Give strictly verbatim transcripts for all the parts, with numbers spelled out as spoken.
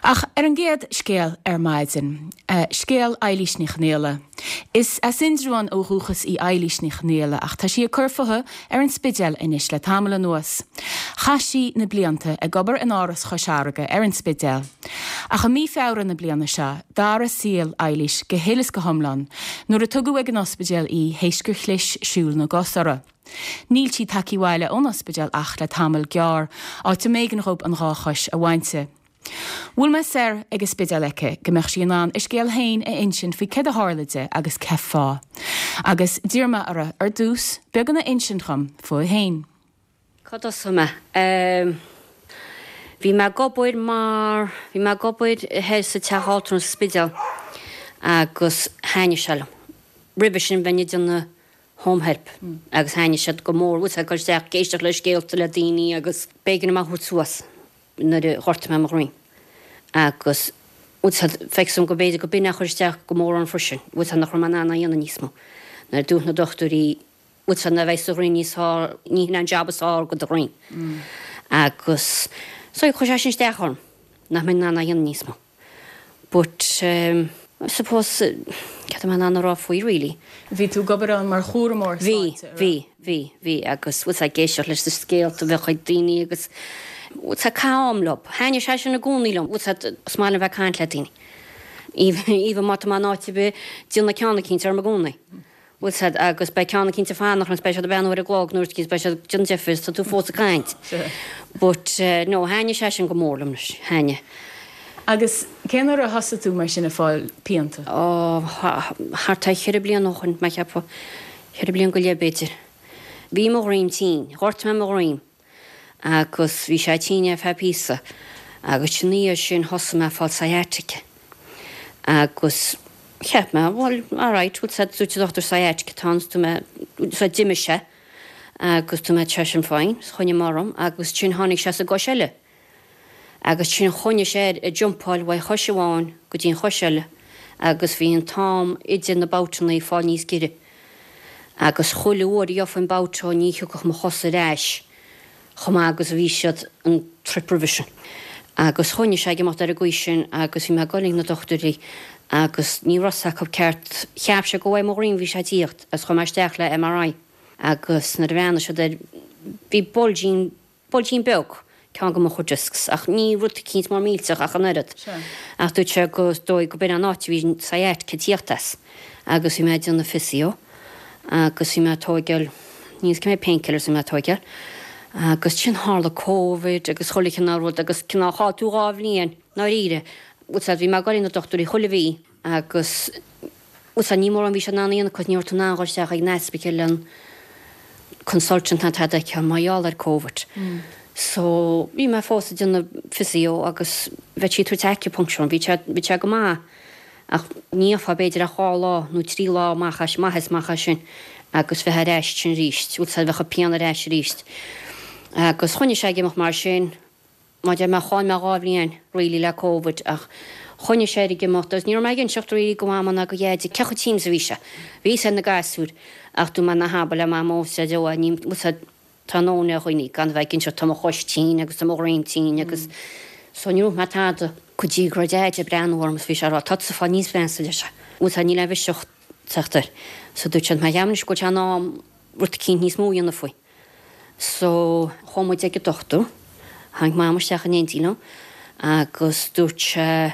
Ach ar an gcéad scéal ar maidin, uh, scéal Eilís Ní Chonghaile. Is as Indreabhán ó dhúchas í Eilís Ní Chonghaile ach tá sí ag cur fúithi ar an Spidéal anois le tamall anuas. Chaith sí na blianta ag obair in Áras Chois Fharraige ar an Spidéal. Ach i mí Feabhra na bliana seo, d'athraigh saol Eilís go huile is go hiomlán, nuair a tugadh ag an ospidéal í théis gur chlis siúl na gcos uirthi. Níl sí tagtha abhaile ón ospidéal ach le tamall gearr, áit a mb'éigean dóibh an dhá chois a bhaint di. Bhuail mé soir ag an Spidéal aici go mbeadh sí in ann a scéal féin a insint faoi céard a tharla di agus cén fáth. Agus d'iarr mé uirthi ar dtús beagán a insint dom fúithi féin. Cá dtosóidh mé? Bhí mé ag obair mar bhí mé ag obair thoir sa teach altranais sa Spidéal agus thaitnigh sé liom. Roimhe sin bheinn ag déanamh home help agus thaitnigh siad go mór ag dul isteach ag éisteacht le scéalta le daoine agus b'éigean dom a thabhairt suas nuair a ghortaigh mé mo dhroim. Agus feicim go b'fhéidir go b'in a chuir isteach go mór an freisin, bhfuil nach raibh mé in ann a dhéanamh níos mó. Nuair dúirt na dochtúirí bhfuil na bheith sa dhroim níos fearr ní hin an job is fearr do do dhroim. Agus so chuir sé sin isteach orm nach mbeinn in ann a dhéanamh níos mó. But um, I suppose cad mé an rá faoi really. Bhí tú ag obair ann mar chúramóir Bhí, bhí, bhí, bhí agus bhfuil ag éisteacht leis na scéalta bheith ag daoine agus bhfuil ag caitheamh leo. Thaitnigh sé sin i gcónaí liom, bhfuil is maith liom bheith caint le daoine. Even má tá mé in áit ar bith déanamh ceann eicínt orm i gcónaí. Bhfuil siad agus beidh ceann eicínt ag fanacht agus beidh siad ag beannú ar an gclog nuair beidh siad déanamh deifir tá tú fós ag caint. But uh, no, thaitnigh sé sin go mór liom leis, thaitnigh. Agus cén uair a thosaigh tú mar sin ag fáil pianta? Ó thart ar cheithre bliana ó shin mé cheapadh cheithre bliana go leith b'fhéidir. Bhí mo dhroim tinn, ghortaigh mé mo dhroim agus bhí sé tinn ar feadh píosa agus sin í sin thosaigh mé fáil sciatica. Agus cheap mé well alright bhfuil sé dúirt an dochtúir sciatica tá tú mé sa d'imigh sé agus tú mé sé sin fine, choinnigh mé orm agus sin tháinig sé sa gcois eile. Agus sin choinnigh sé ag jumpáil ó chois amháin go dtí an chois eile agus bhí an t-am idir na babhtanna ag fáil níos giorra. Agus chuile uair a gheofainn babhta ní thiocfadh mo chos ar ais chomh maith agus a bhí siad an trip roimhe sin. Agus choinnigh sé ag imeacht ar an gcaoi sin agus bhí mé ag dul ag na dochtúirí agus ní raibh acu ceart cheap sé go bhfuil mo dhroim bhí sé tíocht agus chuaigh mé isteach le MRI. Agus nuair a bhreathnaigh siad air bhí bulging bulging beag ceann de mo chuid discs ach ní rud eicínt mór millteach ach an oiread. Ach dúirt sé go dóigh go b'in an áit a bhí sciatica tíocht as agus bhí mé ag déanamh physio agus bhí mé tógáil níos cé mé painkillers bhí mé tógáil. Agus sin tharla COVID agus chuile chineál rud agus cineál chaill tú dhá bhliain dáiríre. Bhfuil bhí mé ag dul na dochtúirí chuile mhí agus bhfuil ní mór an bhí sé in ann a dhéanamh cos ní raibh tú in ann dul isteach ag an ospidéal an consultant ná tada aici mar gheall ar COVID. So bhí mé fós ag déanamh physio agus bheadh sí tabhairt acupuncture bhí sé bhí sé go maith ach ní fá b'fhéidir ach dhá lá nó trí lá amach as maith is amach as sin agus bheith ar ais sin arís, bhfuil bheadh pian ar ais arís. Agus choinnigh sé ag imeacht mar sin má deir mé chaill mé dhá bhliain really le COVID ach choinnigh sé ag imeacht agus ní raibh mé ag inseacht really go mama ná go Dhaidí cé chomh tinn is a bhí sé. Bhí sé na gasúir ach dúirt mé ná habair le mamó sa deo ní tá nóna ar dhaoine gan bheith ag inseacht tá mo chois tinn agus tá mo dhroim tinn agus so ní raibh mé tada go dtí go raibh Daid ag breathnú orm is bhí sé rá tá tú fáil níos measa leis. Bhfuil ní le bheiseach teachtair. So dúirt sé mé cheapaim go bhfuil sé in am rud eicínt níos mó a dhéanamh faoi. So chuaigh muid ag an dochtúir, tháinig mam isteach in éindí liom agus dúirt sé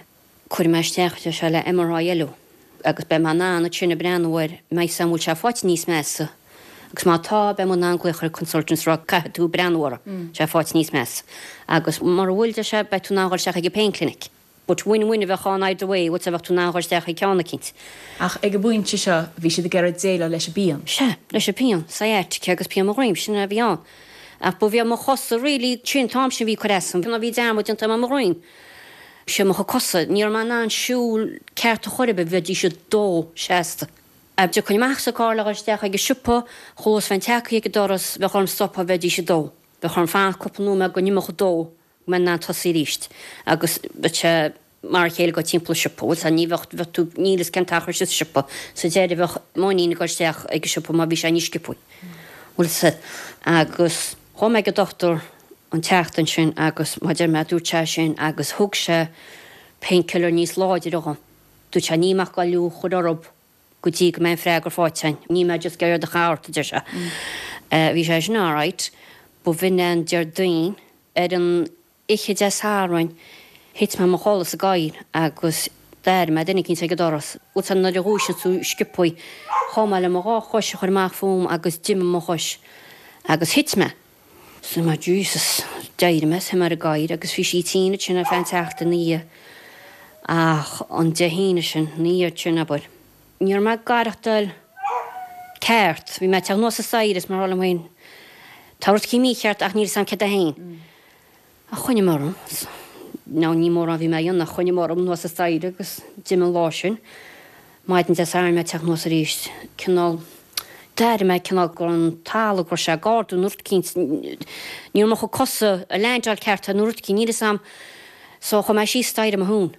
cuir mé isteach sé le MRI eile agus beidh mé in ann sin ag breathnú air meas an bhfuil sé faighte níos measa. Agus má tá beidh mé in ann glaoch ar consultants rá caithfidh tú breathnú air sé faighte níos measa. Agus mar bhfuil de sé beidh tú in ann dul isteach ag an pain clinic. But win-win a bheith ann either way, bhfuil bheith tú in ann dul isteach ag ceann eicínt. Ach ag an bpointe seo bhí siad ag iarraidh déileáil leis an bpian. Sea, leis an pian, sciatica agus pian mo dhroim sin a bhí ann. Ach ba bhí mo chosa really sin t-am sin bhí ag cur as dom, bhí dearmad déanta mo dhroim. Sé mo chosa, ní raibh mé in ann siúl ceart a chor ar bith bheidís ag dó seasta. A d'fhiuchadh amach sa carr le dhul isteach ag an siopa, chuas bheinn tagtha ag an doras, bheadh orm stopadh bheidís ag dó. Bheadh orm fanacht cúpla nóiméad go n-imeodh dó go mbeinn in ann tosaí arís. Agus bheadh sé mar a chéile go timpeall an siopa, bhfuil ní bheadh bheadh tú níl fhios cén t-achar sa siopa, sa deireadh bheadh m'iníon ag dul isteach ag an siopa mar bhí sé níos sciobtha. Bhfuil sa agus chuaigh mé ag an dochtúir an tseachtain sin agus má deir mé dúirt sé sin agus thug sé painkiller níos láidre dhom. Dúirt sé níl mé ag goil í a chur orthu go dtí go mbeidh an freagra faighte againn. Níl mé just ag iarraidh do chur ort, a deir sé. Bhí sé sin alright. B'in an Déardaoin ar an oíche Dé Sathairn thit mé i mo chodladh sa gcathaoir agus d'airigh mé duine eicínt ag an doras. Bhuel san nuair a dhúiseann tú sciobthaí, chuaigh mé le mo dhá chois a chur amach fúm agus d'imigh mo chois agus thit mé. So mé Jesus, d'éirigh mé, shuigh mé ar an gcathaoir agus bhí sí tinn ansin ar feadh an tseachtain ina dhiaidh ach an Dé hAoine sin, ina dhiaidh sin abair. Ní raibh mé ag aireachtáil ceart, bhí mé ag teacht anuas an staighre is mar liom féin, tá rud eicínt mícheart ach níl 'fhios a'm céard é féin. Ach choinnigh mé orm, nó ní mórán a bhí mé a dhéanamh ach choinnigh mé orm anuas an staighre agus d'imigh an lá sin. Maidin Dé Sathairn mé ag teacht anuas arís, cineál, d'airigh mé cineál go raibh an talamh, go raibh sé ag ardú nó rud eicínt, ní raibh mo chuid cosa ag leaindeáil ceart nó rud eicínt, níl 'fhios a'm. So chuaigh mé síos staighre mo thóin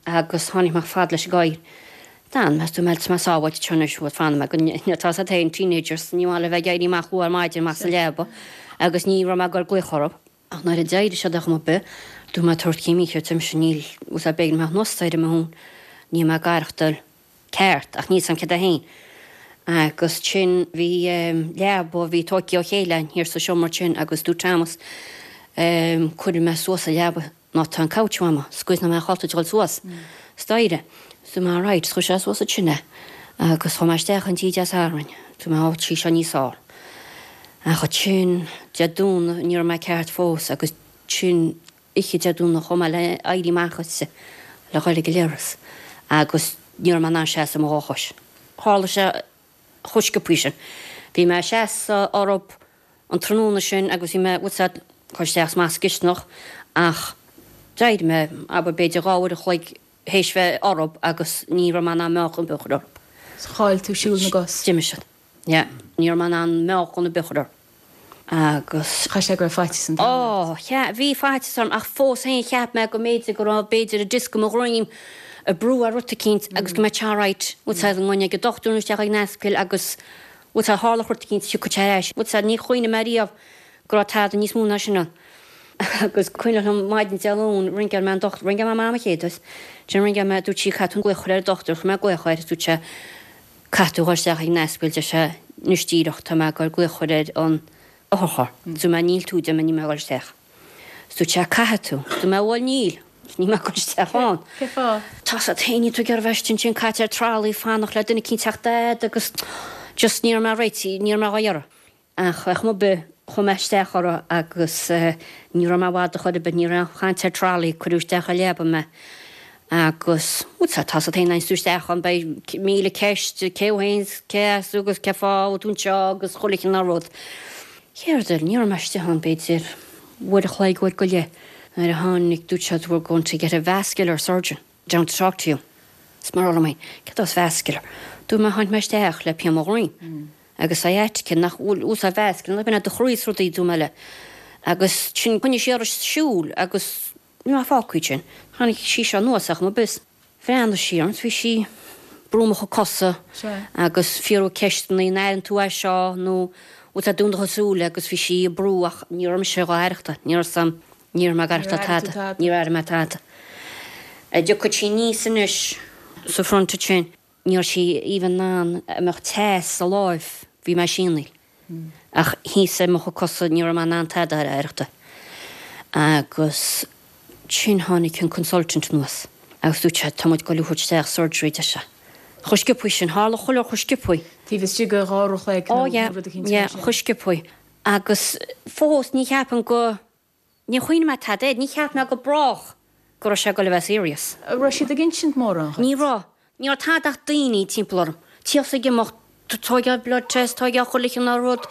agus tháinig mé fad leis an gcathaoir. D'fhan mé, dúirt mé, tá mé sábháilte anseo anois, bhuel fanfaidh mé go n-, tá 'fhios a'd féin, teenagers, ní maith leo bheith ag éirí amach luath ar maidin amach as an leaba agus ní raibh mé ag goil glaoch orthu. Ach nuair a d'éirigh siad ar chuma ar bith, dúirt mé tá rud eicínt mícheart mise, níl, bhfuil 'fhios a'd, b'éigean dom theacht anuas staighre mo thóin, níl mé ag aireachtáil ceart ach níl 'fhios a'm céard é féin. Agus sin bhí leaba, bhí tógtha ó chéile thiar sa seomra sin agus dúirt Thomas, cuirfidh mé suas an leaba ná tá an couch uaim, scaoilfidh mé ábalta dul suas staighre. So mé right, chuir sé suas ansin é agus chuaigh mé isteach an oíche Dé Sathairn, dúirt mé ó tá seo níos fearr. Ach ansin Dé Domhnaigh ní raibh mé ceart fós agus sin oíche Dé Domhnaigh chuaigh mé le éirí amach aisti le dhul ag an leithreas agus ní raibh mé in ann seasamh ar mo dhá chois. Tharla sé chomh sciobthaí sin. Bhí mé ag seasamh orthu an tráthnóna sin agus bhí mé, bhfuil 'fhios a'd, cur isteach amach sa gcisteanach ach d'éirigh mé, abair, b'fhéidir dhá uair a chloig théis bheith orthu agus ní raibh mé in ann meáchan ar bith a chur orthu. Chaill tú siúl na gcos? D'imigh siad. Yeah. Ní raibh mé in ann meáchan ar bith a chur orthu. Agus. Chaith sé go raibh faitíos an domhain ort. Ó, cha, bhí faitíos orm ach fós féin cheap mé go mb'fhéidir go raibh, b'fhéidir, an disc i mo dhroim ag brú ar rud eicínt agus go mbeadh sé alright, bhfuil 'fhios a'd, go ngabhfainn ag an dochtúir nó isteach ag an ascaill agus, bhfuil 'fhios a'd, tharlódh rud eicínt, thiocfadh sé ar ais. Bhfuil 'fhios a'd, ní chuimhnigh mé riamh go raibh tada níos mó ná sin ann. Agus cuimhneach liom maidin Dé Luain, ringeáil mé an dochtúir, ringeáil mé Mam an chéad uair, ansin ringeáil mé, dúirt sí, caithfidh tú glaoch a chur ar an dochtúir, chuir mé glaoch air, dúirt sé, caithfidh tú dhul isteach ag an ascaill, deir sé, anois díreach, tá mé ag goil glaoch a chur ar an otharcharr. Dúirt mé, níl tú, deir mé, níl mé ag dul isteach. Dúirt sé, caithfidh tú. Dúirt mé, bhuel, níl. Níl mé ag dul isteach ann. Cén fáth? Tá 'fhios a'd féin, níl tú ag iarraidh bheith istigh ansin, caite ar trolley, fanacht le duine eicínt teacht fhad agus just ní raibh mé réitithe, ní raibh mé dhá iarraidh. Ach ar chuma ar bith, chuaigh mé isteach orthu agus ní raibh mé i bhfad ar chor ar bith, ní raibh aon chaint ar trolley, cuireadh isteach ar leaba mé agus, bhuel, tá 'fhios a'd féin, nuair a théann tú isteach ann, beidh míle ceist, cé thú féin, cé as tú agus cé fáth a bhfuil tú anseo agus chuile chineál rud. Céard eile, ní raibh mé istigh ann b'fhéidir uair a chloig, uair go leith, nuair a tháinig, dúirt siad, we're going to get a vascular surgeon down to talk to you. Is mar liom féin, céard as vascular? Dúirt mé, tháinig mé isteach le pian mo dhroim. Agus sciatica nach bhfuil úsáid vascular, nach b'in do chroí is rudaí dúirt mé léi. Agus sin, choinnigh sí uirthi siúl agus ní raibh fágtha sin. Tháinig sí seo anuas ach mo bus. Bhreathnaigh sí orm, bhí sí brú mo chuid cosa agus fiafraí ceisteanna, an airíonn tú é seo nó bhfuil tú ag dúnadh do shúile agus bhí sí ag brú ach ní raibh mise dhá aireachtáil, ní raibh sam, ní raibh mé ag aireachtáil tada, ní raibh mé tada. A dtiocfadh sí aníos anois sa front ansin, ní raibh sí even in ann a mbeadh teas sa láimh, bhí mé síonaíl. Ach thíos ar mo chuid cosa ní raibh mé in ann tada a aireachtáil. Agus sin tháinig an consultant anuas agus dúirt sé, tá muid ag goil a thabhairt isteach surgery, deir sé. Chomh sciobthaí sin, tharla chuile chomh sciobthaí. Taobh istigh de dhá uair a chloig nó rud eicínt mar yeah, sin. Chomh sciobthaí. Agus fós ní cheapaim go, ní chuimhnigh mé tada air, ní cheap mé go brách go raibh sé ag goil a bheith serious. An raibh siad ag insint mórán dhuit? Ní raibh. Ní raibh tada ach daoine timpeall orm. Tíocht ag imeacht, tóigeáil blood test, tóigeáil chuile chineál rud,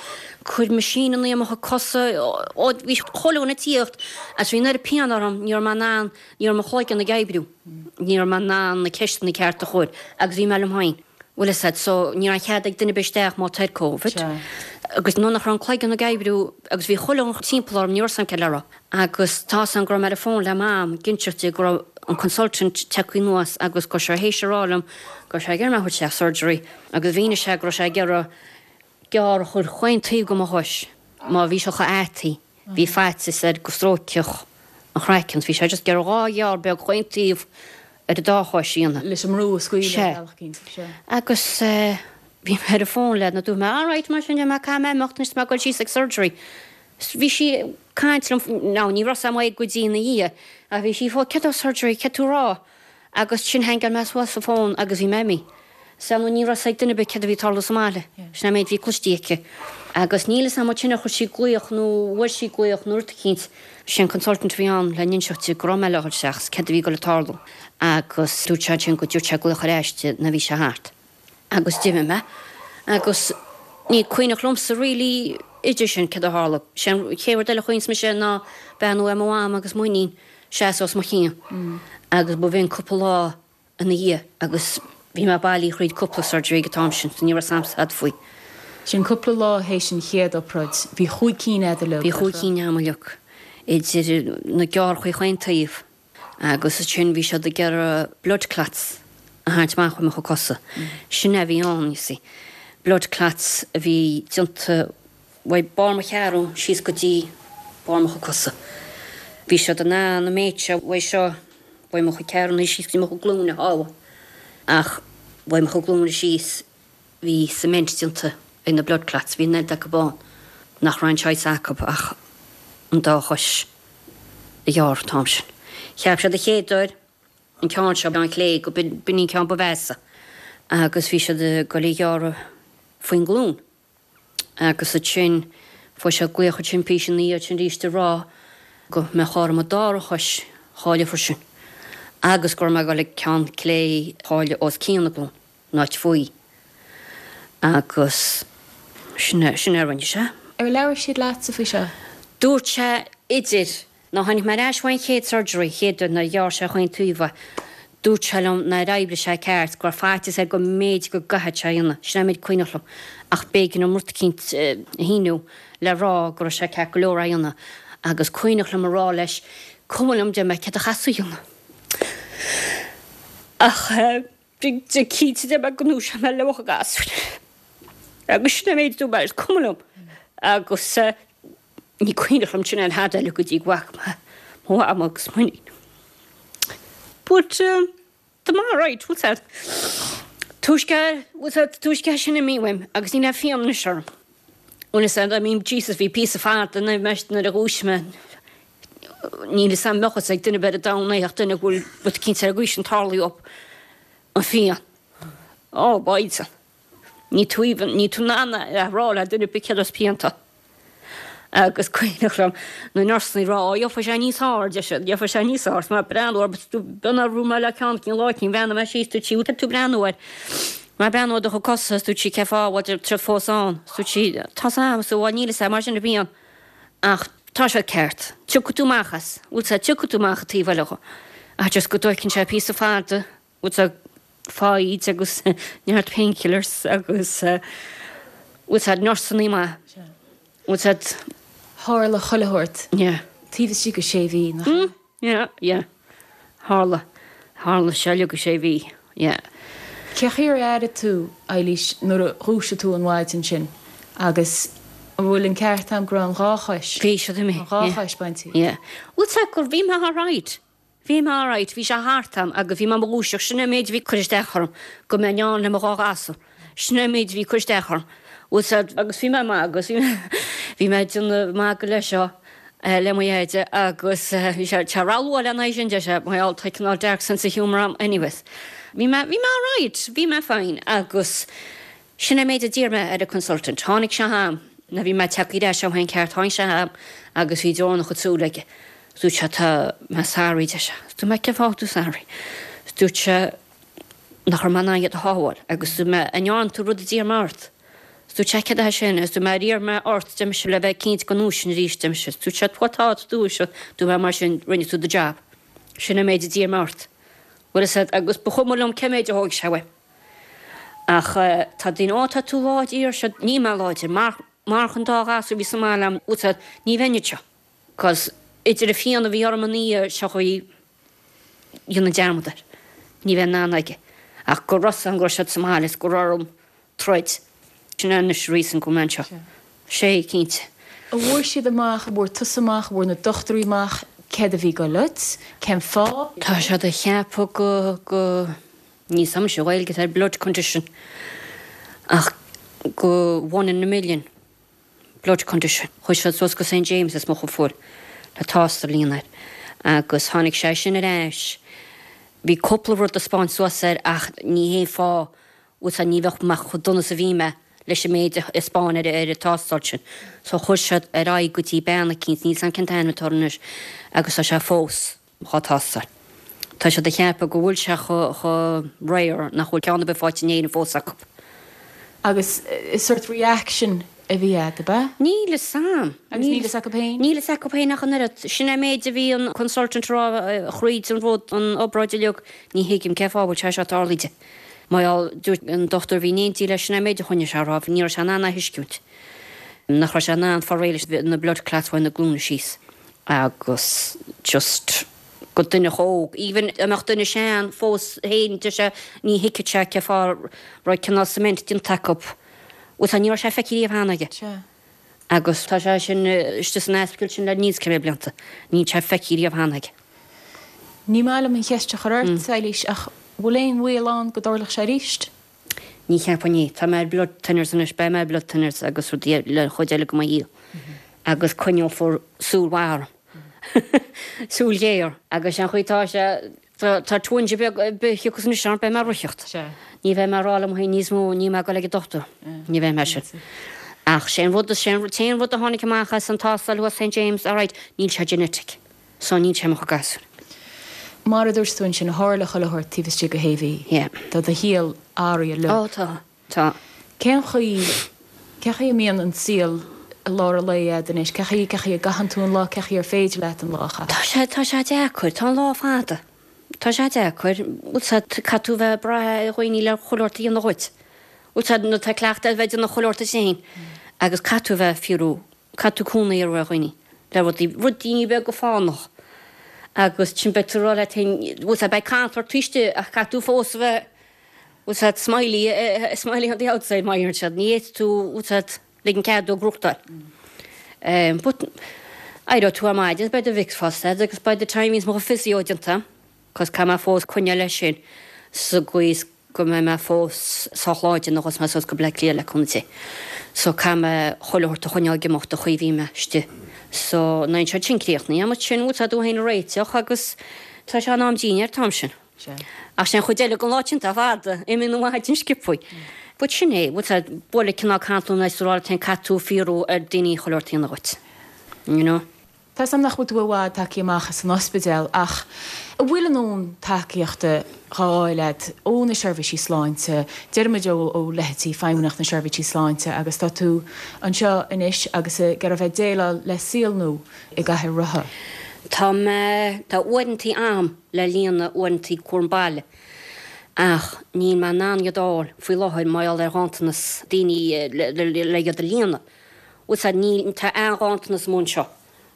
cuir machine i mo chuid cosa, ó bhí chuile dhuine ag tíocht agus bhí an oiread pian orm, ní raibh mé in ann, ní raibh mo chloigeann ag oibriú, ní raibh mé in ann na ceisteanna cearta a chur agus bhí mé liom féin. Bhfuil fhios a'd, so ní raibh cead ag duine ar bith isteach má tá ar Covid. Agus nuair nach raibh an cloigeann ag oibriú agus bhí chuile dhuine timpeall orm, ní raibh 'fhios a'm céard le rá. Agus tá 'fhios a'm go raibh mé ar an fón le Mam, ag inseacht di go raibh an consultant tagtha anuas agus go raibh sé théis a rá liom go raibh sé ag iarraidh mé a thabhairt isteach surgery agus mhínigh sé go raibh sé ag iarraidh gearr a chur chaon taobh de mo chois má bhí sé chomh ataí, bhí faitíos air go stróicfeadh an chraiceann, bhí sé just ag iarraidh dhá ghearr beag chaon taobh ar an dá chois a dhéanamh. Leis an mbrú a scaoileadh Sea. ar bhealach éicint, sea. Agus bhí mé ar an bhfón léi, dúirt mé, alright, mar sin de, mé caithfidh mé imeacht anois, tá mé ag dul síos ag surgery. Bhí sí ag caint liom, now ní raibh a fhios a'm go dtí ina dhiaidh, ach bhí sí fó, céard é surgery, céard tú a rá? Agus sin hang-áil mé suas an fón agus bhí mé imithe. Sea, nó ní raibh a fhios ag duine ar bith céard a bhí ag tarlú sa mbaile. Sin an méid a bhí cloiste aici. Agus níl fhios a'm an sin a chuir sí glaoch nó bhfuair sí glaoch nó rud eicínt. Sé an consultant a bhí ann le n-inseacht di go raibh mé le dhul isteach is céard a bhí ag dul ag tarlú. Agus dúirt sé ansin go dtabharfadh sé glaoch ar ais di nuair a bhí sé thart. Agus d'imigh mé. Agus ní cuimhneach liomsa really idir sin céard a tharla. Sé an chéad rud eile a chuimhníos mise ná beannú ar mo mham agus m'iníon seasamh os mo chionn. Agus ba bhinn cúpla lá ina dhiaidh agus bhí mé bailí thríd cúpla surgery ag an t-am sin, so ní raibh a fhios a'm tada faoi. Sin cúpla lá théis an chéad obráid, bhí chúig cinn agat uilig. Bhí chúig cinn a'm uilig, idir na gearrchaí chaon taobh agus ansin bhí siad ag iarraidh blood clots a tharraingt amach ó mo chuid cosa. Sin é a bhí ann, you see. Blood clots a bhí déanta uaidh barr mo cheathrún síos go dtí barr mo chuid cosa. Bhí siad in ann an méid seo uaidh seo uaidh mo chuid ceathrúna síos go dtí mo chuid glúine a shábháil. Ach uaidh mo chuid glúine síos bhí cement déanta ag na blood clots, bhí an oiread acu ann nach raibh aon choice acu ach an dá chois a ghearradh an t-am sin. Cheap siad an chéad uair an ceann seo an chlé go b'in an ceann ba mheasa agus bhí siad ag dul a ghearradh faoin nglúin. Agus ansin fuair siad glaoch ansin píosa ina dhiaidh sin arís ag rá go mbeadh orm an dara chois a chailleadh freisin agus go raibh mé ag dul ag ceann clé a chailleadh os cionn na glún, an áit faoi. Agus sin é sin é a rinne sé. Ar labhair siad leatsa faoi seo? Dúirt sé idir nuair a tháinig mé ar ais ón chéad surgery, chéad uair nuair a ghearr sé chaon taobh é, dúirt sé liom nár oibrigh sé ceart, go raibh faitíos air go mb'fhéidir go gcaithfeadh sé a dhéanamh. Sin é an méid cuimhneach liom. Ach b'éigean dom rud eicínt a shíniú le rá go raibh sé ceart go leor é a dhéanamh. Agus cuimhneach liom a rá leis, cuma liom deir mé céard a chaithfeas tú a dhéanamh. Ach bhí cinnte deir mé go ndúiseoidh mé le mo ghasúir. Agus sin é an méid a dúirt mé leis, cuma liom. Agus ní cuimhneach liom sin aon tada eile go dtí go bhfaca mé mo mham agus m'iníon. But um, tá mé alright, bhfuil a fhios agat. Túisce, bhfuil a fhios agat, túisce sin imithe uaim agus níl aon phian anois orm. Bhfuil a fhios agat, I mean, Jesus, bhí píosa fada nuair nuair a dhúisigh mé. Níl a fhios a'm mbeadh a fhios ag duine ar bith ar domhan é ach duine go bhfuil rud eicínt ar an gcaoi sin tarlaithe dhób an phian. Oh, boys. Ní tú even, ní tú in ann a rá le duine ar bith céard as pian tú. Agus cuimhneach liom na nursanna ag rá, ó, gheobhaidh sé níos airde, siad, gheobhaidh sé níos airde, mé ag breathnú air, but b'ionadh a raibh mé le ceann cinn lá cinn, bhreathnaigh mé síos, dúirt sí, bhfuil tú ag breathnú air? Mé ag breathnú ar do chuid cosa, is dúirt sí, cén fáth a bhfuil siad fós ann? Is dúirt sí, tá's a'm, is bhuel níl a fhios a'm, mar sin a bhíonn. Ach tá siad ceart. Tiocfaidh tú amach as. Bhfuil a fhios agat, tiocfaidh tú amach an taobh eile dho. Ach just go dtóigeann sé píosa fada, bhfuil a fhios agat, foighid agus neart painkillers agus bhfuil a fhios agat, nursanna maith. Bhfuil a fhios agat. Tharla chuile shórt. Yeah. Taobh istigh de sé mhí, nach ea? Yeah, yeah. Tharla. Tharla sé uilig i sé mhí. Yeah. Cé chaoi ar airigh tú, Eilís, nuair a dhúisigh tú an mhaidin sin agus an bhfuil an ceart a'm go raibh an dhá chois, Bhí siad imithe. an dhá chois bainte? Yeah. Bhfuil a fhios agat gur bhí mé alright. Bhí mé alright, bhí sé thart a'm agus bhí mé i mo dhúiseacht, sin é an méid a bhí ag cur isteach orm, go mbeinn ann le mo dhá ghasúr. Sin é an méid a bhí ag cur isteach orm. Bhfuil a fhios agat, agus bhí mé maith agus bhí mé, bhí mé ag déanamh magadh leis seo le mo dheaide agus bhí sé, tá rogha lena aghaidh sin, deir sé, my old tá cineál dark sense of humour a'm anyways. Bhí mé, bhí mé alright, bhí mé fine agus sin é an méid a d'iarr mé ar an consultant. Tháinig sé chugam, nuair a bhí mé tagtha ar ais ó shin ceart, tháinig sé chugam agus bhí deora ina chuid súl aige. Dúirt sé tá mé sorry, deir sé. Dúirt mé cén fáth tú sorry? Dúirt sé nach raibh mé in ann iad a shábháil agus dúirt mé an ndearna tú rud a d'iarr mé ort? Dúirt sé céard é sin agus dúirt mé ar iarr mé ort deir mise le bheith cinnte go ndúisfinn arís deir mise. Dúirt sé bhuel tá tú dúisithe. Dúirt mé mar sin rinne tú do job. Sin an méid a d'iarr mé ort. Bhfuil a fhios agat agus ba chuma liom cé méid a thóg sé uaim. Ach tá daoine ó tá tú láidir seo níl mé láidir mar mar chun dá ghasúr a bhí sa mbaile a'm bhfuil a fhios agat ní bheinn anseo. Cos idir an phian a bhí orm an oíche seo chuaigh dhéanamh dearmad air. Ní bheinn in ann aige. Ach go raibh an go raibh siad sa mbaile is go raibh orm troid. Sin é anois reason go bhfuil mé anseo. Sé cinnte. An bhfuair siad amach, an bhfuair tusa amach, an bhfuair na dochtúirí amach, Céard a bhí ag goil ort? Cén fáth? Tá siad ag ceapadh go go níl a fhios agam an Ghaeilge atá ar blood condition ach go one in a million blood condition. Chuaigh siad suas go Saint James is mo fuair le tástáil a dhéanamh air agus tháinig sé sin ar ais. Bhí cúpla rud a spáint suas air ach ní hé fá bhfuil ní bheadh mé chomh dona is a bhí mé leis an méid a spáin ar ar an tástáil sin. So chuir siad ar aghaidh go dtí bean eicínt, níl a fhios agam cén t-ainm atá anois agus tá sé fós dhá tástáil. Tá siad ag ceapadh go bhfuil sé chomh rare nach bhfuil ceann ar bith faighte in Éirinn fós acu. Agus is sort reaction a bhí a'd, ab ea? Níl a fhios agam. Agus níl a fhios acu féin? Níl a fhios acu féin ach an oiread. Sin é méid a bhí an consultant rá thríd an rud an obráid uilig, ní thuigim cén fáth a bhfuil sé seo tarlaithe. Mar dúirt an dochtúir bhí in éindí leis sin é méid a choinnigh sé á rá, ní raibh sé in ann a thuiscint. Nach raibh sé in ann fáil réidh leis na blood clots uaidh na glúine síos. Agus just go duine óg, even a mbeadh duine sean fós féin deir sé ní thuigfeadh sé cén fáth raibh cineál cement déanta acu. Bhuel ní raibh sé feicthe riamh cheana aige. Sea. Agus tá sé sin istigh san ospidéal sin le níos cibé blianta. Níl sé feicthe riamh cheana aige. Ní maith liom an cheist a chur ort, Eilís, ach bhfuil aon bhaol ann go dtarlódh sé arís? Ní cheapaim é. Tá mé ar blood thinners anois, beidh mé ar blood thinners agus rudaí le chuid eile go mo shaol. Agus coinneofar súil mhaith orm. Súil ghéar. Agus an chaoi tá sé tá twinge beag thiocfas anois orm beidh mé ag ritheacht. Sea. Ní bheidh mé ag rá liom féin níos mó ní mé ag dul ag an dochtúir. Ní bheidh mé sin. Ach sé an rud sé an t-aon rud a tháinig amach as an tástáil thuas Saint James, alright, níl sé genetic. So níl sé mo chuid gasúr. Mar a dúirt tú ansin tharla chuile shórt taobh istigh de shé mhí. Yeah. Tá do shaol athraithe Ó tá, tá. Cén chaoi cén chaoi a mbíonn an saol i lár an lae a'd anois, cén chaoi cén chaoi a gcaitheann tú an lá, cén chaoi ar féidir leat an lá a chaitheamh? Tá sé tá sé deacair, tá an lá fada. Tá sé deacair, bhfuil caithfidh tú bheith ag brath ar dhaoine le chuile shórt a dhéanamh dhuit. Bhfuil nó tá cleachtadh a bheith ag déanamh chuile shórt duit féin agus caithfidh tú a bheith fiú caithfidh tú cúnamh a iarraidh ar dhaoine le rudaí rudaí beaga fánach. Agus sin beidh tú ag rá leat féin bhfuil beidh cantal ort istigh ach caithfidh tú fós a bheith bhfuil siad smiley smiley on the outside mar deireann siad ní fhéadfaidh tú bhfuil siad ligean cead dó gnóthachtáil. Um, but éireoidh tú ar maidin beidh do Vicks fosta agus by the time is mo physio déanta, cos caithfidh mé fós coinneáil leis sin sa gcaoi is go mbeidh mé fós sách láidir nuair a ghabhfas mé suas go Bleá Cliath le cúnamh Dé. So caithfidh mé chuile shórt a choinneáil ag imeacht a chaoi bhí mé istigh. So nuair atá sin críochnaithe agat sin bhfuil tú féin a réiteach agus tá sé in am dinnéir an t-am sin. Ach sin chuid eile den lá sin tá fada, imíonn an mhaidin sciobtha. But sin é, bhfuil tú bualadh cineál cantal na rá ten caithfidh tú fiafraí ar daoine chuile shórt a dhéanamh dhuit. You know? Tá sam nach bhfuil tú i bhfad tagtha amach as an ospidéal ach an bhfuil a ndóthain tacaíochta á fháil a'd ó na seirbhísí sláinte, deirimid ó ó leithéidí Feidhmeannacht na Seirbhísí Sláinte agus tá tú anseo anois agus ag iarraidh bheith déileáil le saol nua i gcathaoir rotha. Tá mé tá uaireantaí am le líonadh uaireantaí cúram baile ach níl mé in ann iad a fháil faoi láthair mar gheall ar ghanntanas daoine le le le iad a líonadh. Bhfuil siad ní tá an-ghanntanas amuigh anseo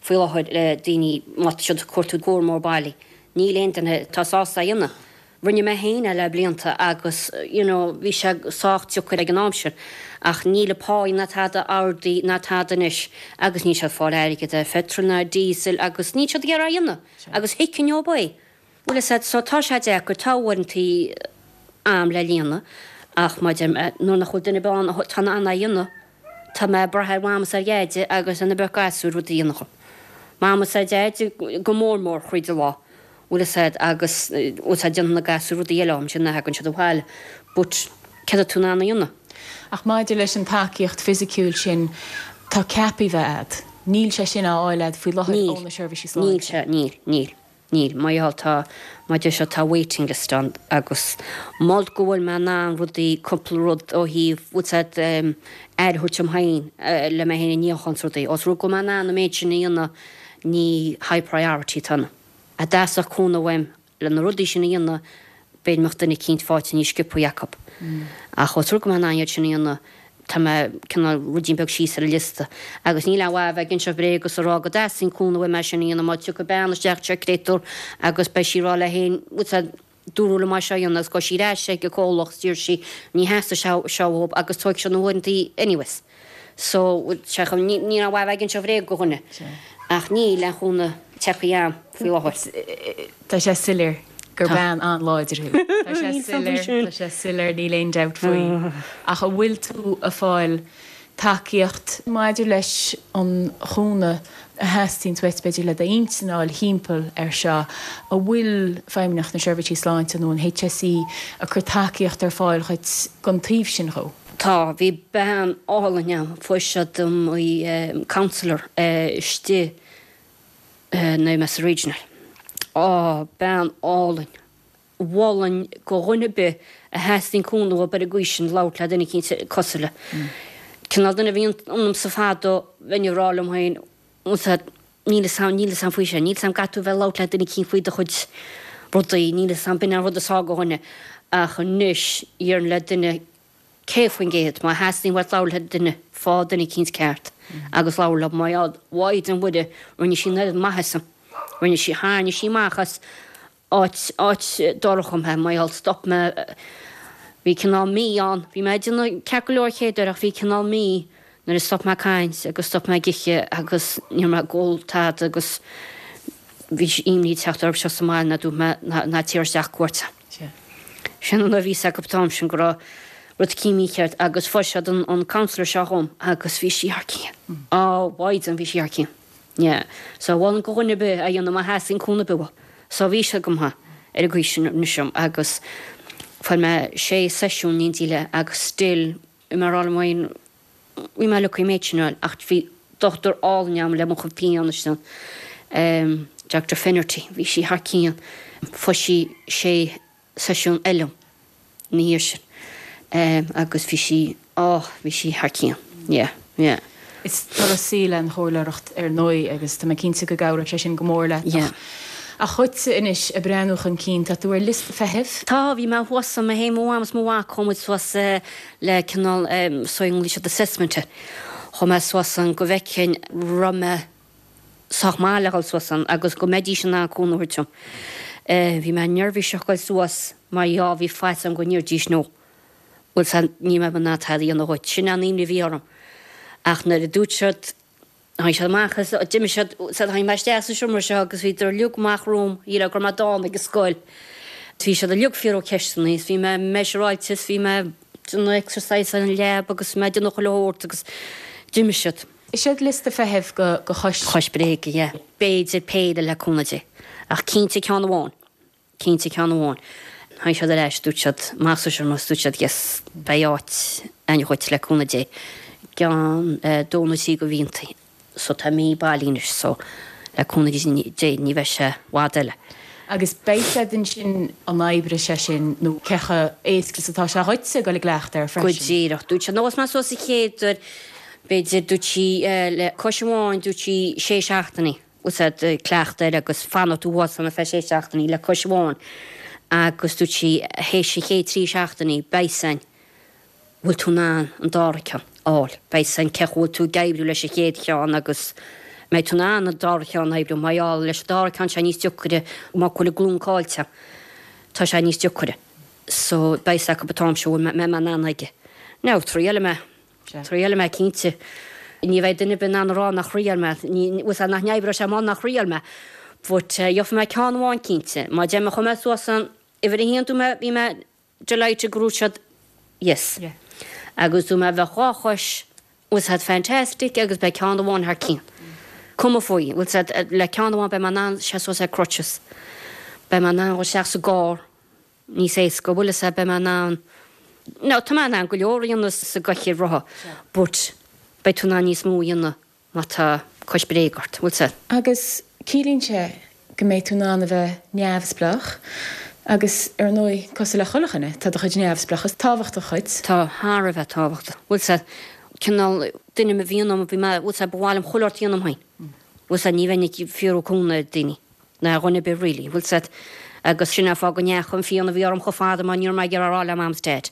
faoi láthair le daoine má tá siad ag cuartú cúramóir baile. Níl aon duine tá sásta a dhéanamh. Rinne mé féin é le blianta agus you know bhí sé sách deacair ag an am sin ach níl an pá ná tada ardaithe ná tada anois agus níl siad fáil airgead ar phetrol ná diesel agus níl siad ag iarraidh a dhéanamh agus thuigfinn leo é. Bhfuil a fhios a'd so tá sé deacair tá uaireantaí am le líonadh ach mar a deir mé nuair nach bhfuil duine ar bith ann atá in ann é a dhéanamh tá mé ag brath ar Mham is ar Dhaid agus ar na beirt gasúr rud a dhéanamh. Mam is ar Dhaid go mór mór thríd an lá. Bhfuil a fhios a'd agus bhfuil a fhios a'd déanann na gasúir rudaí eile am sin na thagann siad abhaile but céard atá tú in ann a dhéanamh? Ach maidir leis an tacaíocht fisiciúil sin tá ceaptha bheith a'd. Níl sé sin á fháil a'd faoi láthair Níl ó na seirbhísí níl sláinte. sé níl níl níl mar gheall tá mar deir siad tá waiting list ann agus mol go bhfuil mé in ann rudaí cúpla rud ó thaobh bhfuil a fhios a'd um, aire a thabhairt dom féin uh, le mé féin a níochán is rudaí. Os rud go bhfuil mé in ann an méid sin a dhéanamh ní high priority atá ann. A dteastódh cúnamh uaim le na rudaí sin a dhéanamh b'fhéidir mbeadh duine eicínt faighte níos sciobtha acu. Ach os rud go bhfuil mé in ann iad sin a dhéanamh tá mé cineál ruidín beag síos ar an liosta. Agus níl aon mhaith a bheith ag inseacht bréag agus a rá go dteastaíonn cúnamh uaim é sin a dhéanamh má tiocfaidh bean isteach sa créatúr agus beidh sí ag rá léi féin bhfuil a fhios a'd dúradh liom é seo a dhéanamh agus gabhfaidh sí ar ais ag an comhlacht d'iarr sí ní theastaigh sé seo uathu agus tógfaidh siad na huaireantaí anyways. So sé chun ní ní aon mhaith a bheith ag inseacht bréag do dhuine. Ach níl aon chúnamh teipthe orm faoi láthair. Tá sé soiléir gur bean an-láidir thú. Tá sé soiléir, tá sé soiléir, níl aon dabht faoi. Ach an bhfuil tú ag fáil tacaíocht maidir leis an chúnamh a theastaíonn uait b'fhéidir le d'intinn a fháil thimpeall ar seo, an bhfuil Feidhmeannacht na Seirbhísí Sláinte nó an H S E ag cur tacaíocht ar fáil dhuit gon taobh sin dhó? Tá, bhí bean álainn ann, fuair siad dom í, counsellor istigh na Mesa Regional. Á, bean álainn. Mholfainn go dhuine ar bith a theastaíonn cúnamh uaidh ar an gcaoi sin labhairt le duine eicínt cosúil léi. Cineál duine a bhí ionamsa fadó, bheinn ag rá liom féin, níl 'fhios a'm, níl 'fhios a'm faoi sin, níl 'fhios a'm caithfidh tú bheith ag labhairt le duine eicínt faoi do chuid rudaí, níl 'fhios a'm, b'in an rud is fearr go dhuine. Ach anois, déarfainn le duine céad faoin gcéad, má theastaíonn uait labhairt le duine, faigh duine eicínt ceart agus labhair leo, mar a Mhaighdean Mhuire, rinne sí an oiread maitheasa, rinne sí, tharraing sí amach as áit, áit dorcha mé, mar gheall, stop mé, bhí cineál mí ann, bhí mé ag déanamh ceart go leor chéad uair ach bhí cineál mí nuair a stop mé ag caint agus stop mé ag ithe agus ní raibh mé ag ól tada agus bhí imní ag teacht orm seo sa mbaile ná dúirt mé ná ná tabhair isteach cuairt. Sin an uair a bhí 'fhios acu an t-am sin go raibh rud eicínt mícheart agus fuair siad an an counsellor seo dhom agus bhí sí thar cionn. Á, Mhaighdean, bhí sí thar cionn. Yeah. So mholfainn go dhuine ar bith a dhéanamh má theastaíonn cúnamh ar bith uathu. So bhí sé agam ar an gcaoi sin anois agus fuair mé sé seisiún in éindí léi agus still bhí mé ag rá liom féin bhí mé lucky an méid sin a fháil ach bhí dochtúir álainn agam le mo chuid pian ansin, Doctor Finnerty, bhí sí thar cionn. Fuair sí sé seisiún eile ina dhiaidh sin agus bhí sí, á, bhí sí thar cionn. Yeah, yeah. Is turas saoil é an chomhairleoireacht ar ndóigh agus tá mé cinnte go gcabhróidh sé sin go mór leat. Yeah. Ach dhuitse anois ag breathnú chun cinn, tá tú ar liosta feithimh? Tá, bhí mé thuas ann, mé féin, mo mham is mo mhac, chuaigh muid suas le cineál so nglaoigh siad assessment air. Chuaigh mé suas ann go bhfeicfinn raibh mé sách maith le dhul suas ann agus go mbeidís in ann cúnamh a thabhairt dom. Bhí mé neirbhíseach goil suas mar gheall bhí faitíos orm go ndéarfaidís no. Bhuel san ní mbeidh mé in ann tada a dhéanamh dhuit. Sin an imní a bhí orm. Ach nuair a dúirt siad, tháinig siad amach as, d'imigh siad, said tháinig mé isteach sa seomra seo agus bhíodar uilig amach romham, shílfeá go raibh mé dána ag an scoil. Bhí siad uilig ag fiafraí ceisteanna is bhí mé measuráilte is bhí mé ag déanamh exercise ar an lab agus bhí mé ag déanamh chuile shórt agus d'imigh siad. Is é liosta feithimh go go chois. Chois Bréige, yeah. B'fhéidir péire le cúnamh Dé. Ach cinnte ceann amháin. Cinnte ceann amháin. Tháinig siad ar ais, dúirt siad, amach sa seomra is dúirt siad yes, beidh áit againn dhuit le cúnamh Dé. Ceann dó nó trí de mhíontaí. So tá mí bailí anois so le cúnamh Dé ní bheidh sé i bhfad eile. Agus beidh siad ansin an oibreoidh sé sin nó cé chomh éasca is atá sé dhuitse ag dul i gcleachtadh air Go freisin? díreach. Dúirt siad, nó mé suas sa chéad uair, b'fhéidir dúirt sí le cois amháin dúirt sí sé seachtainí úsáid cleachtadh air agus fanacht tú thuas ann ar feadh sé seachtainí le cois amháin agus dúirt sí théis an chéad trí seachtainí beidh san bhfuil tú in ann an dara ceann a fháil. Beidh san cé bhfuil tú ag oibriú leis an chéad cheann agus mbeidh tú in ann an dara ceann a oibriú mar gheall leis an dara ceann sé níos deacaire má bhfuil an glún caillte. Tá sé níos deacaire. So beidh acu an t-am seo bhfuil mé in ann aige. Now triailfidh mé. Triailfidh mé cinnte. Ní bheidh duine ar bith in ann a rá nach thriail mé, ní nach n-oibreoidh sé má nach thriail mé. But gheobhaidh mé ceann amháin cinnte. Má deir mé chuaigh mé suas an uimhir a haon dúirt mé bhí mé delighted go raibh siad yes. Yeah. Agus dúirt mé bheadh dhá chois was had fantastic agus beidh ceann amháin thar cionn. Cuma faoi, bhfuil said le ceann amháin beidh mé in ann sé suas ar crutches. Beidh mé in ann isteach sa gcarr níos éasca, bhfuil fhios beidh mé in ann No, tá mé in ann go leor a dhéanamh sa gcathaoir rotha, but beidh tú in ann níos mó a dhéanamh má tá cois bréige ort, bhfuil said. Agus ciallaíonn sé go mbeidh tú in ann a bheith neamhspleách agus ar ndóigh cosúil le chuile dhuine, tá do chuid neamhspleáchas tábhachtach dhuit. Tá thar a bheith tábhachtach. Bhfuil said cineál duine a bhíonn ionam bhí mé bhfuil said ba mhaith liom chuile shórt a dhéanamh féin. Bhfuil said ní bheinn ag fiafraí cúnamh ar daoine ná ar dhuine ar bith really, bhfuil said agus sin an fáth go ndeachaigh an phian a bhí orm chomh fada mar ní raibh mé ag iarraidh a rá le mam is dad.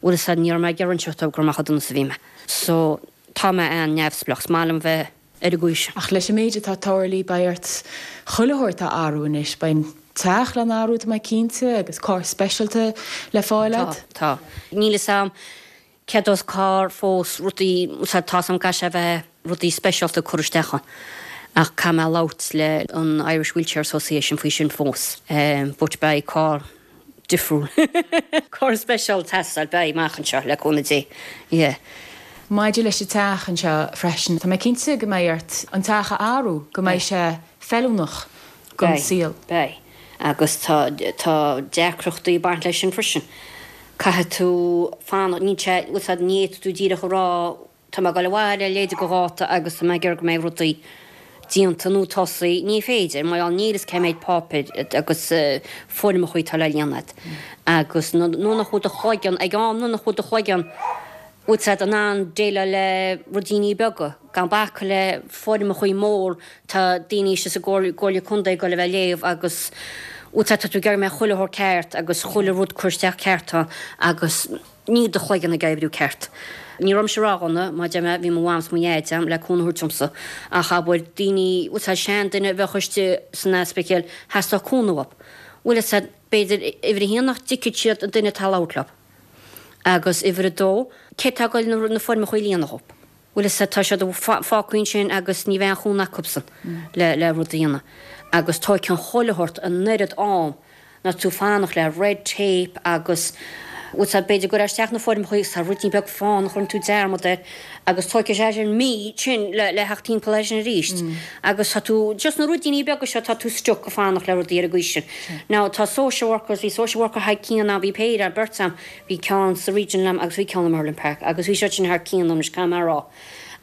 Bhfuil said ní raibh mé ag iarraidh inseacht dóibh gur amach donas a bhí mé. So tá mé an-neamhspleách, is maith liom bheith ar an gcaoi sin. Ach leis an méid atá tarlaithe beidh ort chuile shórt a athrú anois, beidh an teach le n-athrú tá mé cinnte agus carr speisialta le fáil Tá, agat. tá. Níl fhios a'm céard as carr fós rudaí tá am ga sé bheith rudaí speisialta cur isteach ann. Ach caithfidh mé labhairt le an Irish Wheelchair Association faoi sin fós. Um, but beidh carr difriúil. Carr speisialta ag teastáil beidh amach anseo le cúnamh Dé. Yeah. Maidir leis an teach anseo freisin, Tá mé cinnte go mbeidh ort an teach a athrú go mbeidh sé feiliúnach don saol. Beidh. Agus tá tá deacrachtaí ag baint leis sin freisin. Caithfidh tú fanacht ní ní tú díreach a rá Tá mé ag dul abhaile leide go dháta agus tá mé ag iarraidh go mbeidh rudaí déanta nó tosaithe ní féidir, mar níl fhios cé méid páipéir agus foirmeacha atá le líonadh. Agus nuair nach bhfuil do chloigeann ag am nuair nach bhfuil do chloigeann bhfuil siad in ann déileáil le ruidíní beaga, gan bacadh le foirmeacha mór tá daoine istigh sa gComhairle Contae ag dul a bheith ag léamh agus bhfuil tá tú ag iarraidh go mbeidh chuile shórt ceart agus chuile rud curtha isteach ceart agus níl do chloigeann ag oibriú ceart. Ní raibh mise roghnach mar deir mé bhí mo mham is mo dhaid agam le cúnamh a thabhairt domsa ach abair daoine bhfuil siad sean duine a bheadh istigh san ospidéal theastódh cúnamh uathu. Bhfuil fhios a'd b'fhéidir uimhir a haon nach dtuigfeadh siad an duine atá ag labhairt leo. Agus uimhir a dó cé atá ag dul na foirmeacha a líonadh dhóibh. Bhfuil fhios a'd tá siad fágtha ansin agus ní bheidh aon chúnamh acusan le le rud a dhéanamh. Agus tóigeann chuile shórt an oiread am ná tú fanacht le red tape agus bhfuil fhios a'd b'fhéidir go raibh isteach na foirmeacha agus tá ruidín beag fánach a chuireann tú dearmad air agus tóigfidh sé sin mí sin le le theacht timpeall air sin arís agus tá tú just na ruidíní beaga seo tá tú stuck ag fanacht le rudaí ar an gcaoi sin. Now tá social workers bhí social worker thar cionn ann bhí péire beirt ann bhí ceann sa region liom agus bhí ceann i Merlin Park agus bhí siad sin thar cionn anois caithfidh mé a rá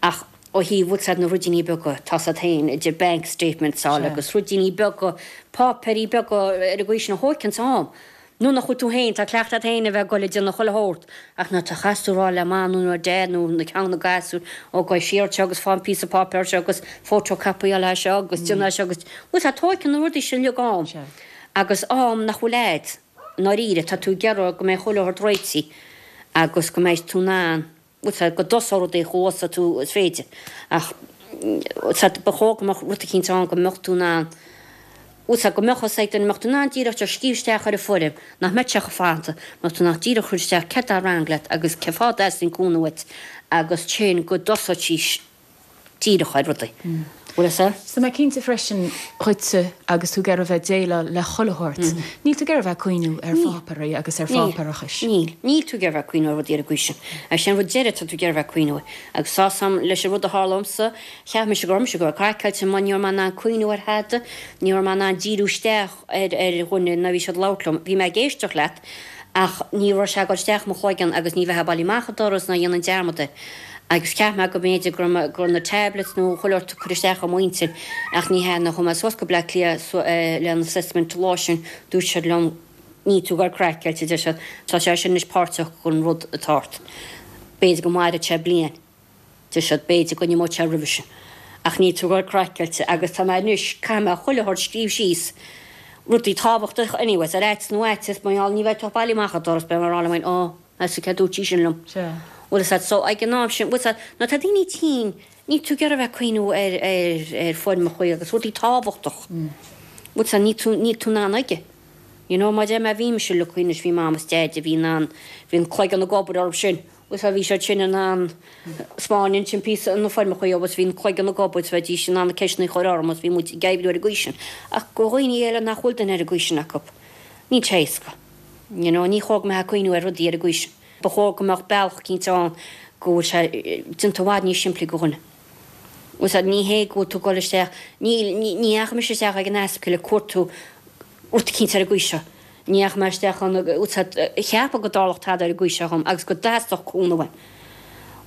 ach ó thaobh bhfuil fhios a'd na ruidíní beaga tá siad féin idir bank statements a fháil agus ruidíní beaga páipéirí beaga ar an gcaoi sin a thóigeann am. Nó nach bhfuil tú féin, tá cleachtadh agat féin a bheith ag dul ag déanamh chuile shórt, ach nuair a chaithfeas tú rá le mam nó dad nó na ceann na gasúr, ó gabh siar anseo agus faigh an píosa páipéir seo agus photocopy eile seo agus déan é seo agus, bhuel tá tóigeann na rudaí sin uilig am. Agus am nach bhfuil a'd, i ndáiríre, tá tú ag iarraidh go mbeidh chuile shórt réitithe agus go mbeidh tú in ann, bhuel tá, go dtosóidh rudaí chomh luath is tú is féidir. Ach, tá, ba chóir go mbeadh rud eicínt ann go mbeadh tú in ann, bhfuil fhios a'd, go mbeadh fhios ag duine, mbeadh tú in ann díreach just scríobh isteach ar an bhfoirm, nach mbeadh sé chomh fada, mbeadh tú in ann díreach cur isteach céard atá wrong leat agus cén fáth a dteastaíonn cúnamh uait agus ansin go dtosóidís díreach ar rudaí. Bhfuil fhios a'd? Tá mé cinnte freisin dhuitse agus tú ag iarraidh bheith ag déileáil le chuile shórt, níl tú ag iarraidh bheith ag cuimhniú ar pháipéirí agus ar pháipéarachais. Níl. Níl tú ag iarraidh bheith ag cuimhniú ar rudaí ar an gcaoi sin. Agus sin an rud deiridh atá tú ag iarraidh bheith ag cuimhniú air. Agus tá 'fhios a'm leis an rud a tharla dhomsa, Cheap mise go raibh mise ag dul craiceáilte mar ní raibh mé in ann cuimhniú ar thada, ní raibh mé in ann díriú isteach ar ar dhuine nuair a bhí siad ag labhairt liom. Bhí mé ag éisteacht leat ach ní raibh sé ag dul isteach i mo chloigeann agus ní bheifeá bailithe amach an doras ná dhéanfainn dearmad air. Agus cheap mé go mb'fhéidir go raibh mé go raibh na tablets nó chuile shórt ag cur isteach i m'intinn ach ní hea nuair a chuaigh mé suas go Bleá Cliath le an assessment an lá sin dúirt siad liom níl tú ag dul craiceáilte, deir siad, tá sé sin anois páirteach den rud atá ort. B'fhéidir go mairfidh sé bliain. Deir siad, b'fhéidir go n-imeoidh sé roimhe sin. Ach níl tú ag dul craiceáilte agus tá mé anois, caithfidh mé chuile shórt scríobh síos, rudaí tábhachtacha anyways, ar fhaitíos nó fhaitíos, mar gheall ní bheidh tú ach bailithe amach an doras, beidh mé ag rá liom féin, oh, meas tú céard dúirt sí sin liom. Sea. Bhfuil fhios a'd, so ag an am sin, bhfuil fhios a'd, nuair atá daoine tinn, níl tú ag iarraidh a bheith ag cuimhniú ar, ar, ar foirmeacha agus rudaí tábhachtach. Bhfuil fhios a'd, níl tú, níl tú in ann aige. You know, mar a deir mé, bhí mise lucky anois, bhí mam is deaid a bhí in ann, bhí an cloigeann ag obair orthu sin. Bhuel bhí siad sin in ann 'spáint ansin píosa na foirmeacha agus bhí an cloigeann ag obair is bheidís in ann na ceisteanna a chur orm agus bhí muid ag oibriú ar an gcaoi sin. Ach do dhaoine eile nach bhfuil duine ar an gcaoi sin acu, níl sé éasca. You know, ní chóir go mbeifeá ag cuimhniú ar rudaí ar an gcaoi sin. Ba chóir go mbeadh bealach eicínt ann go bhfuil sé déanta i bhfad níos simplí do dhuine. Bhfuil fhios a'd, ní hé go bhfuil tú ag dul isteach, níl, ní dheachaigh mise isteach ag an ospidéal ag cuartú rud eicínt ar an gcaoi seo. Ní dheachaigh mé isteach ann bhfuil fhios a'd a cheapadh go dtarlódh tada ar an gcaoi seo dhom agus go dteastódh cúnamh uaim.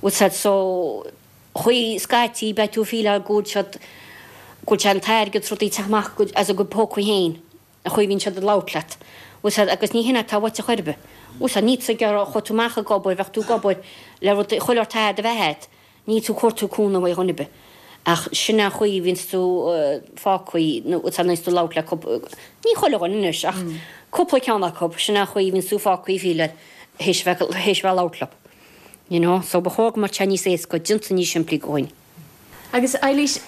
Bhfuil fhios a'd so chaoi scaití beidh tú ag fíleáil go bhfuil siad go bhfuil sé an t-airgead 's rudaí ag teacht amach as a gcuid pócaí féin an chaoi a bhíonn siad ag labhairt leat. Bhfuil fhios a'd agus ní hin atá uait ar chor ar bith. Bhfuil fhios a'd níl tú ag iarraidh chuaigh tú amach ag obair bheadh tú ag obair le rudaí chuile shórt a'd a bheith a'd. Níl tú ag cuartú cúnamh ó dhuine ar bith. Ach sin an chaoi a bhíonns tú fágtha nó tá níos tú labhairt le cúpla, ní chuile dhuine anois ach cúpla ceann acu, sin an chaoi a bhíonns tú fágtha ag fíleáil théis bheith théis bheith labhairt leo. You know? So ba chóir go mbeadh sé níos éasca, déanta níos simplí do dhaoine. Agus Eilís,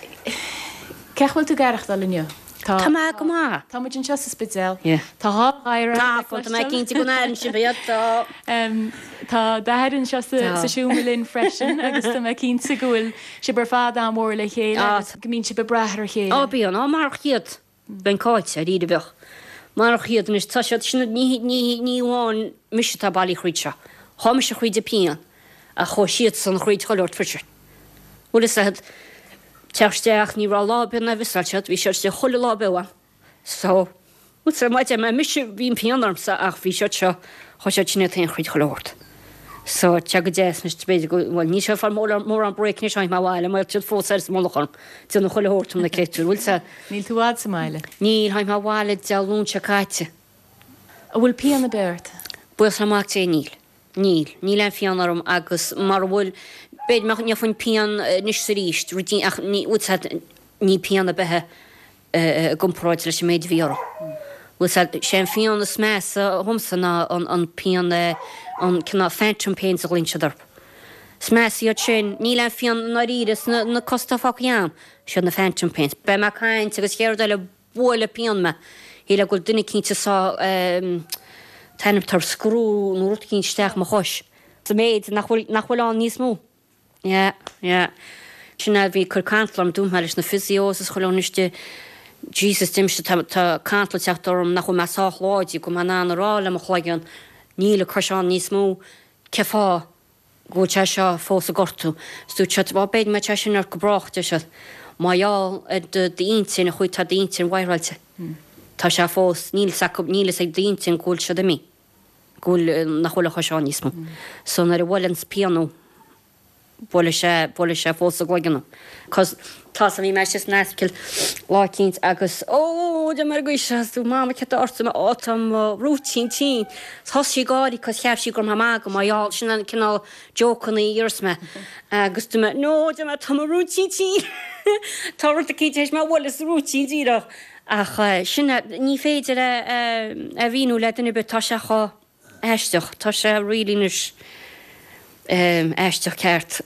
cén chaoi a bhfuil tú ag aireachtáil inniu? Tá Tá mé go maith. Tá muid anseo sa Spidéal. Yeah. Tá dhá ghadhar Tá, tá mé cinnte go n-airíonn sibh iad, tá. Um, tá d'athair anseo sa, Tá. sa seomra linn freisin agus tá mé cinnte go bhfuil sibh ar fad an-mhór le chéile Ah. agus go mbíonn sibh ag brath ar a chéile. Á bíonn, á marach iad. Bheinn caillte ar iad bheadh. Marach iad anois tá siad sin ní ní ní amháin mise atá bailí thríd seo. Tá mise thríd an pian ach chuaigh siadsan thríd chuile shórt freisin. Bhfuil fhios agat teacht isteach ní raibh lá ar bith nár mhiseáil siad, bhí siad istigh chuile lá beo ann. So, bhfuil sé maith mé mise bhí an pian ormsa ach bhí siad seo chuaigh siad sin iad féin thríd chuile shórt. So tá go deas anois b'fhéidir go bhfuil ní seo far mór mórán break anois tháinig mé abhaile mar siad fós ar mullach orm. Déanamh chuile shórt na créatúir, bhfuil sé Níl tú i bhfad sa mbaile. Níl tháinig mé abhaile Dé Luain seo caite. An bhfuil pian ar bith ort? Buíochas le Mac Dé níl. Níl, níl aon phian orm agus mar a bhfuil b'fhéidir nach ndéanfainn pian anois is arís, ruidín ach ní bhfuil sé ní pian ar bith i gcomparáid leis an méid a bhí orm. Bhfuil sé sé an phian is measa dhomsa ná an an pian an cineál phantom pains a ghlaonn siad orthu. Is measa iad sin, níl aon phian i ndáiríre sna na cosa atá fágtha agam, siad na phantom pains. Beidh mé ag caint agus chéad rud eile buailfidh pian mé. Shílfeá go bhfuil duine eicínt ag sá t-ainm tar screw nó rud eicínt isteach i mo chois. Sa méid nach bhfuil nach bhfuil ann níos mó. Yeah, yeah. Sin é bhí cur cantal orm dúirt mé leis na physios is chuile dhuine istigh Jesus deirimse tá tá cantal ag teacht orm nach bhfuil mé sách láidir go mbeinn in ann a rá le mo chloigeann níl an chois ann níos mó cé fáth go bhfuil sé seo fós ag gortú. Is dúirt siad bhuel b'fhéidir go mbeidh sé sin ort go brách deir siad. Mar gheall ar do d'intinn a chuaigh tá d'intinn wireáilte. Tá sé fós níl fhios acu níl fhios ag d'intinn go bhfuil siad imithe. Go bhfuil nach bhfuil an chois ann níos mó. So nuair a bhuaileann pian thú buailfidh sé buailfidh sé fós sa gcloigeann. Cos tá bhí mé istigh san ospidéal lá eicínt agus ó de mar go is tú mama cad tá ort ó tá mo rúitín tinn. Thosaigh sí ag gáirí cos cheap sí go raibh mé ag magadh mar gheall sin an cineál jokeanna a dhéarfas mé. Agus dúirt mé no deir mé tá mo rúitín tinn. Tá rud eicínt tar éis mé a bhualadh sa rúitín díreach. Ach sin ní féidir a a mhíniú le duine ar bith tá sé chomh aisteach tá sé really anois aisteach ceart.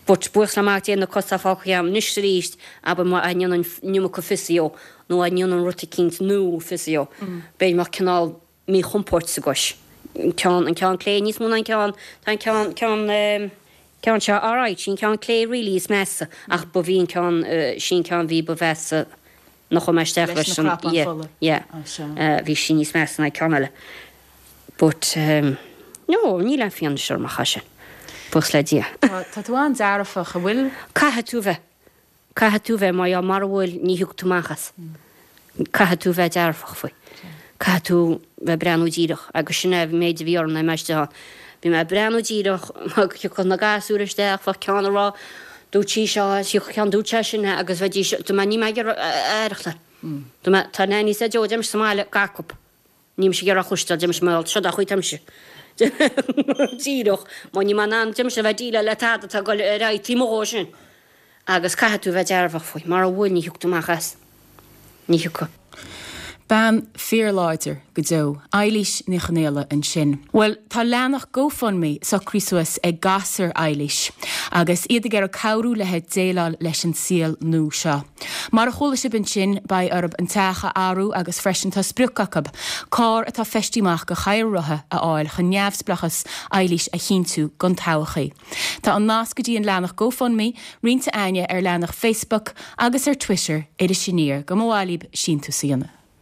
But buíochas le Mac Dé na cosa fágtha agam anois is arís abair má dhéanann an iomarca physio nó a ndéanann rud eicínt nua physio. B'fhéidir go mbeadh cineál míchompord sa gcois. An ceann an ceann clé níos mó ná an ceann tá an ceann ceann ceann seo alright sin ceann clé really is measa ach ba bhí an ceann sin ceann bhí ba mheasa nach chuaigh mé isteach Leis leis na an cnapáin yeah fola. yeah Ah, sea. bhí sí níos measa ná an ceann eile. But um, no níl aon phian anois orm ach sin. Buíochas le Dia. Tá tá tú an-dearfach an bhfuil? Caithfidh tú bheith. Caithfidh tú bheith mar mura bhfuil ní thiocfaidh tú amach as. Caithfidh tú bheith dearfach faoi. Caithfidh tú bheith breathnú díreach agus sin é méid a bhí orm nuair a bhí mé istigh ann. Bhí mé breathnú díreach thiocfadh na gasúir isteach bheadh ceann ag rá dúirt sí seo thiocfadh ceann dúirt sé sin agus bheidís dúirt mé níl mé ag iarraidh aireachtáil. Dúirt mé tá Nanny said Joe deirimse sa mbaile gach acu. Níl mise ag iarraidh a chloisteáil deirimse mar seo a chuid aimse. Díreach má níl mé in ann deirimse a bheith ag déileáil le tada atá ag dul ar aghaidh taobh amuigh dhó sin. Agus caithfidh tú bheith dearfach faoi mura bhfuil ní thiocfaidh tú amach as. Ní thiocfaidh. Bean fíorláidir go deo, Eilís Ní Chonaola ansin. Bhuel, tá leathanach GoFundMe socraithe suas ag gasúir Eilís, agus iad ag iarraidh cabhrú léi déileáil leis an saol nua seo. Mar a chuala sibh ansin beidh orthu an teach a athrú agus freisin tá sprioc acu, carr atá feistithe amach do chathaoir rotha a fháil chun neamhspleáchas Eilís a chinntiú don todhchaí. Tá an nasc go dtí an leathanach GoFundMe roinnte againne ar leathanach Facebook agus ar Twitter Iris Aniar go mba mhaith libh síntiús a dhéanamh.